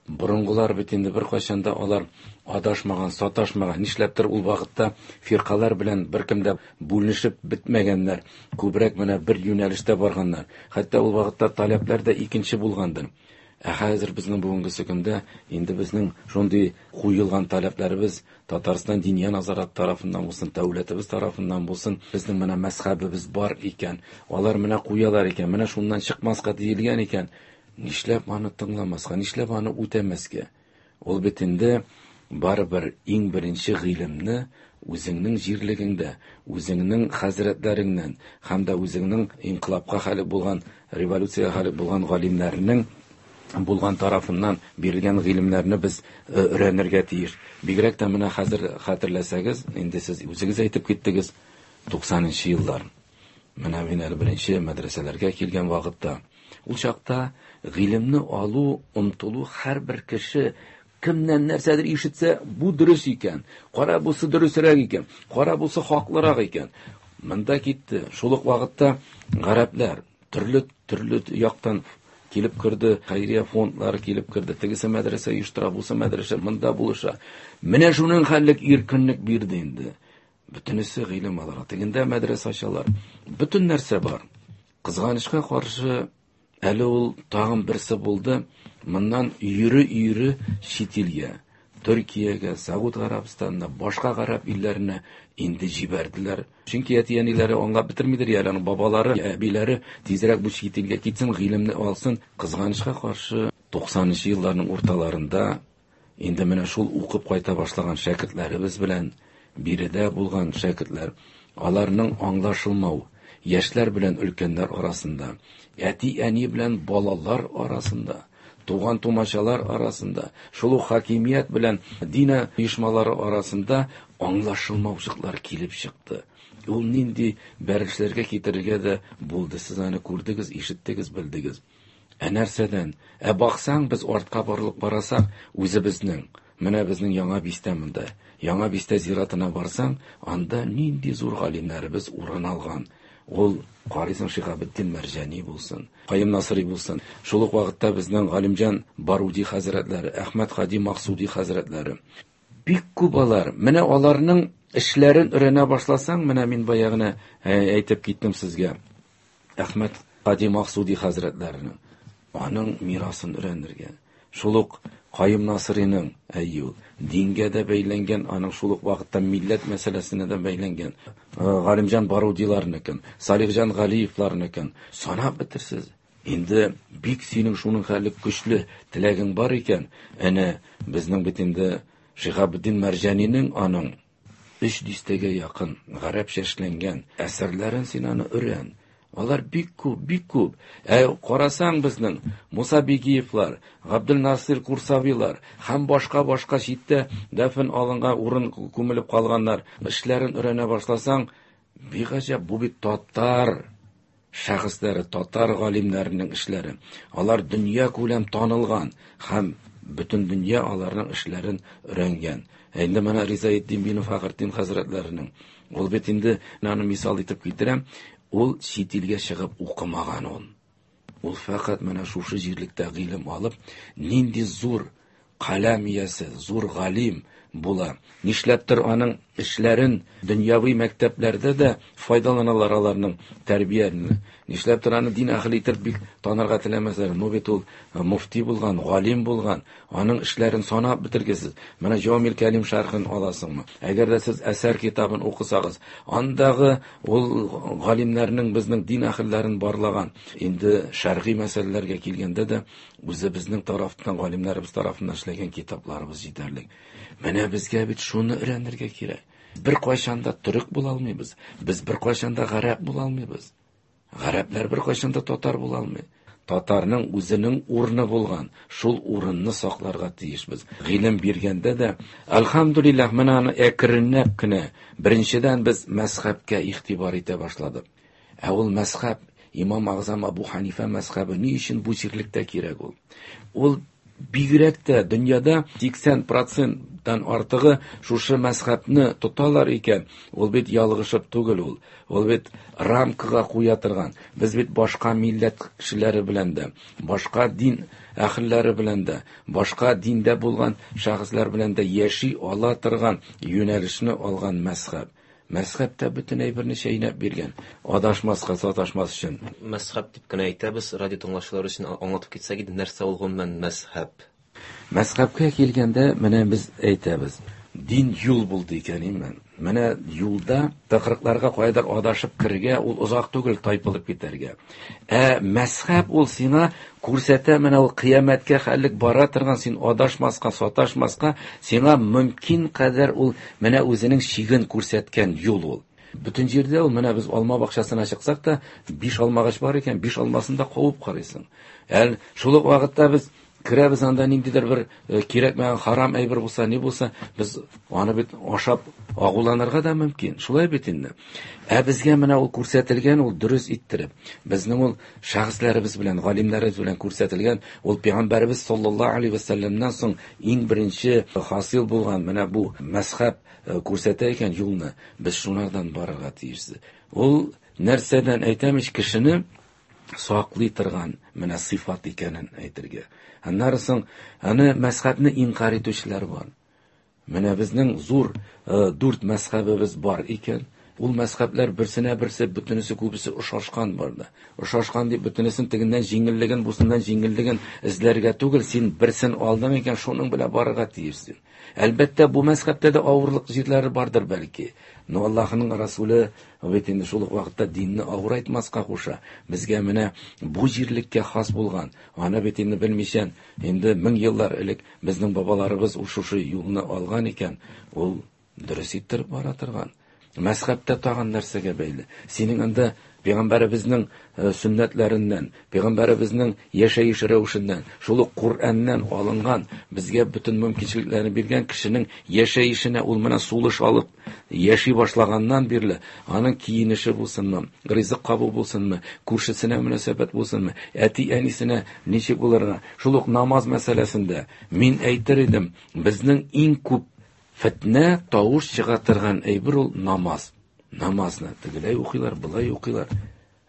Борынгылар бит инде беркайчан да алар адашмаган, саташмаган, нишләптер ул вакытта фиркалар белән беркем дә бүленешеп бетмәгәннәр, күбрәк менә бер юнәлештә барганнар. Хәтта ул вакытта таләпләр дә икенче булгандыр. Ә хәзер безнең бүгенге көндә инде безнең шундый куелган таләпләребез Татарстан Диния назарат тарафыннан булсын, дәүләтебез тарафыннан булсын, безнең менә мәзһәбебез бар икән, алар менә куялар икән, менә шуннан чыкмаска диелгән икән, нишләп аны тыңламаска, нишләп аны үтәмәскә? Ул бит инде барыбер иң беренче гыйлемне үзеңнең җирлегеңдә, үзеңнең хәзрәтләреңнән һәм дә үзеңнең инкыйлабка хәлек булган, революциягә хәлек булган галимнәрнең булган тарафыннан бирелгән гыйлемнәрне без, э, өйрәнергә тиеш. Бигрәк тә менә хәзер хәтерләсәгез, инде сез үзегез әйтеп киттегез, туксанынчы еллар. Менә мин әле беренче мәдрәсәләргә килгән вакытта, ул чакта гыйлемне алу, омтылу һәрбер кеше кемнән нәрсәдер ишетсә, бу дөрес икән, кара бусы дөресрәк икән, кара бусы хаклырак икән. Монда китте. Шул ук вакытта гарәпләр төрле төрле яктан килеп керде, хәйрия фондлары килеп керде. Тегесе мәдрәсә оештыра, бусы мәдрәсә монда булыша. Менә шуның хәллек иркенлек бирде инде. Бөтенесе гыйлем алырга. Тегендә мәдрәсә ачалар. Бөтен нәрсә бар. Кызганычка каршы, әле ул тагын берсе булды. Моннан өере-өере чит илгә, Төркиягә, Сауд Гарәбстанына, башка гарәп илләренә инде җибәрделәр. Чөнки әти-әниләре аңлап бетермидер, әле аның бабалары, әбиләре тизрәк бу чит илгә китсен, гыйлемне алсын. Кызганычка каршы, туксанынчы елларның урталарында инде менә шул укып кайта башлаган шәкертләребез белән биредә булган шәкертләр, аларның аңлашылмау Яшьләр белән өлкәннәр арасында, әти-әни белән балалар арасында, туган тумачалар арасында, шул ук хакимият белән дин оешмалары арасында аңлашылмаучылыклар килеп чыкты. Ул нинди бәрелешләргә китерергә дә булды. Сез аны күрдегез, ишеттегез, белдегез. Ә нәрсәдән? Ә баксаң, без артка борылып карасак, үзебезнең, менә безнең Яңа Бистә монда. Яңа Бистә зиратына барсаң, анда нинди зур галимнәребез урын алган. Ул карыйсың Шиһабетдин Мәрҗани булсын, Каюм Насыйри булсын. Шул ук вакытта безнең Галимҗан Баруди хәзрәтләре, Әхмәт Хади Максуди хәзрәтләре. Бик күп алар. Менә аларның эшләрен өйрәнә башласаң, менә мин баягына әйтеп киттем сезгә. Әхмәт Хади Максуди хәзрәтләренең аның мирасын өйрәнергә. Шул ук Каюм Насыйриның, әйе ул, дингә дә бәйләнгән, аның шул ук вакытта милләт мәсьәләсенә дә бәйләнгән. Галимҗан Барудиларныкын, Салихҗан Галиевларныкын санап бетерсез. Инде бик синең шуның хәле көчле теләгең бар икән, әнә безнең бит инде Шиһабетдин Мәрҗанинең аның өч дистәгә якын гарәпчә эшләнгән әсәрләрен син аны өйрән. Алар бик күп, бик күп. Ә карасаң безнең Муса Бигиевлар, Габделнасыр Курсавилар һәм башка-башка читтә дәфен алынган урын күмелеп калганнар эшләрен өйрәнә башласаң, бик гаҗәп, бу бит татар шәхесләре, татар галимнәренең эшләре. Алар дөнья күләм танылган һәм бөтен дөнья аларның эшләрен өйрәнгән. Ә инде менә Ризаэтдин бин Фәхретдин хәзрәтләренең, ул бит инде аны мисал итеп китерәм, ул чит илгә чыгып укымаган ул. Ул фәкать менә шушы җирлектә гыйлем алып, нинди зур каләм иясе, зур галим була. Нишләптер аның эшләрен дөньяви мәктәпләрдә дә файдаланалар аларның тәрбияне. Нишләптер аны дин әһеле итеп бик танырга теләмәсләр. Ну бит ул муфти булган, галим булган, аның эшләрен санап бетергесез. Менә Җамил Кәлим шәрхен аласыңмы? Әгәр дә сез әсәр китабын укысагыз, андагы ул галимнәрнең безнең дин әһелләрен барлаган. Инде шәргый мәсьәләләргә килгәндә дә үзебезнең тарафтан, галимнәребез тарафыннан эшләгән китапларыбыз җитәрлек. Менә безгә бит шуны өйрәнергә кирәк. Бер кайчан да төрек була алмыйбыз. Без бер кайчан да гарәп була алмыйбыз. Гарәпләр бер кайчан да татар була алмый. Татарның үзенең урыны булган, шул урынны сакларга тиешбез. Гыйлем биргәндә дә, әлхәмдүлилләһ, менә аны әкренләп кенә, беренчедән без мәзһәбкә игътибар итә башладык. Ә ул мәзһәб, Имам Агзам Абу Ханифа мәзһәбе ни өчен бу җирлектә кирәк ул? Ул бигрәк тә дөньяда сиксән проценттан артыгы шушы мәзһәбне тоталар икән, ул бит ялгышып түгел ул. Ул бит рамкага куя торган. Без бит башка милләт кешеләре белән дә, башка дин әһелләре белән дә, башка диндә булган шәхесләр белән дә яши ала торган юнәлешне алган мәзһәб. Мәзһәб тә бөтен әйберне чәйнәп биргән. Адашмаска, саташмас өчен. Мәзһәб дип кенә әйтәбез, радио тыңлаучылар өчен аңлатып китсәк иде, нәрсә ул гомумән мәзһәб? Мәзһәбкә килгәндә, менә без әйтәбез, дин юл булды икән имән. Менә юлда тыкрыкларга кайдыр адашып керергә, ул озак түгел тайпылып китәргә. Ә мәзһәб ул сиңа күрсәтә, менә ул кыямәткә хәллек бара торган, син адашмаска, саташмаска, сиңа мөмкин кадәр ул менә үзенең чиген күрсәткән юл ул. Бөтен җирдә ул, менә без алма бакчасына чыксак та, биш алмагач бар икән, биш алмасын да куып карыйсың. Әл шул ук вакытта без керәбез анда ниндидер бер кирәкмәгән харам әйбер булса, ни булса, без аны бит ашап агуланырга да мөмкин. Шулай бит инде. Ә безгә менә ул күрсәтелгән, ул дөрес иттереп, безнең ул шәхесләребез белән, галимнәребез белән күрсәтелгән, ул пәйгамбәребез саллаллаһу алейһи ва сәлләмнән соң иң беренче хасил булган менә бу мәзһәб күрсәтә икән юлны, без шунардан барырга тиешбез. Ул нәрсәдән әйтәм ич, кешене саклый торган менә сыйфат икәнен әйтергә. Аннары соң аны мәзһәбне инкар итүчеләр бар. Менә безнең зур дүрт мәзһәбебез бар икән. Ул мәзһәбләр берсенә берсе бөтенесе күбесе ошашкан барда. Ошашкан дип бөтенесен тегеннән җиңеллеген, бусыннан җиңеллеген эзләргә түгел, син берсен алдың икән, шуның белән барырга тиешсең. Әлбәттә, бу мәзһәбтә дә авырлык җирләре бардыр бәлки. Но Аллаһның Расулы бит инде шул ук вакытта динне авырайтмаска куша. Безгә менә бу җирлеккә хас булган, аны бит инде белмичә, инде мең еллар элек безнең бабаларыбыз шушы юлны алган икән, ул дөрес иттереп бара торган. Мәзһәбтә тагын нәрсәгә бәйле? Синең анда Пәйгамбәребезнең сөннәтләреннән, пәйгамбәребезнең яшәеш рәвешеннән, шул ук Коръәннән алынган, безгә бөтен мөмкинчелекләрне биргән кешенең яшәешенә ул менә сулыш алып яши башлаганнан бирле, аның киенеше булсынмы, ризык кабу булсынмы, күршесенә мөнәсәбәт булсынмы, әти-әнисенә ничек булырга, шул ук намаз мәсьәләсендә мин әйтер идем, безнең иң күп фитнә тавыш чыга торган әйбер ул намаз. Намазны тегеләй укыйлар, былай укыйлар.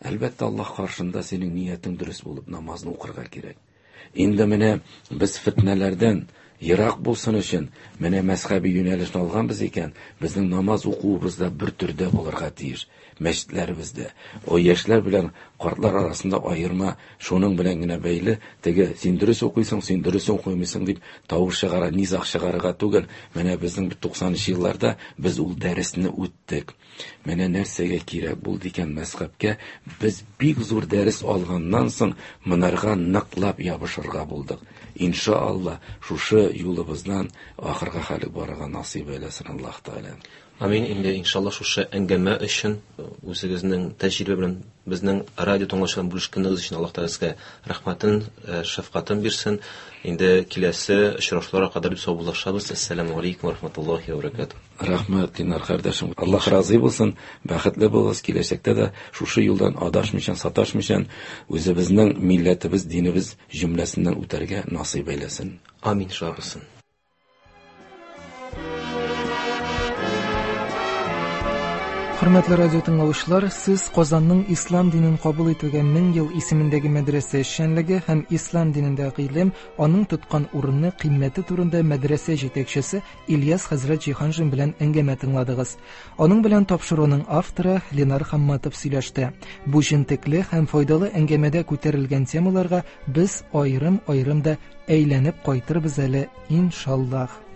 Әлбәттә, Аллаһ каршында синең ниятең дөрес булып намазны укырга кирәк. Инде менә без фитнәләрдән ерак булсын өчен менә мәзһәби юнәлешне алганбыз икән, безнең намаз укуыбыз да бер төрдә булырга тиеш. Мәчетләребездә о яшьләр белән картлар арасында аерма шуның белән генә бәйле, теге син дөрес укыйсың, син дөрес укымыйсың дип тавыш чыгара, низаг чыгарырга түгел. Менә безнең туксанынчы елларда без ул дәресне үттек. Менә нәрсәгә кирәк булды икән мәзһәбкә, без бик зур дәрес алганнан соң монарга ныклап ябышырга булдык. Иншалла, шушы юлыбыздан ахырга хәлек барырга насыйп әйләсен Аллаһ Тәгалә. Амин. Инде иншалла шушы әңгәмә өчен үзегезнең тәҗрибә белән безнең радио тыңлаучылар бүлешкәнегез өчен Аллаһ Тәгалә сезгә рәхмәтен, шәфкатен бирсен. Инде киләсе очрашуларга кадәр саубуллашабыз. Ассаламу алейкум ва рахматуллахи ва баракатуһ. Рәхмәт, Динар кардәшем. Аллаһ разый булсын, бәхетле булыгыз. Киләчәктә дә шушы юлдан адашмыйча, саташмыйча үзебезнең милләтебез, динебез җөмләсеннән үтәргә насыйп әйләсен. Амин, шулай булсын. Хөрмәтле радио тыңлаучылар, сез Казанның ислам динен кабул итүгә мең ел исемендәге мәдрәсә эшчәнлеге һәм ислам динендә гыйлем, аның тоткан урыны, кыйммәте турында мәдрәсә җитәкчесе Ильяс хәзрәт Җиһаншин белән әңгәмә тыңладыгыз. Аның белән тапшыруның авторы Ленар Хамматов сөйләште. Бу җентекле һәм файдалы әңгәмәдә күтәрелгән темаларга без аерым-аерым да әйләнеп кайтырбыз әле, иншаллаһ.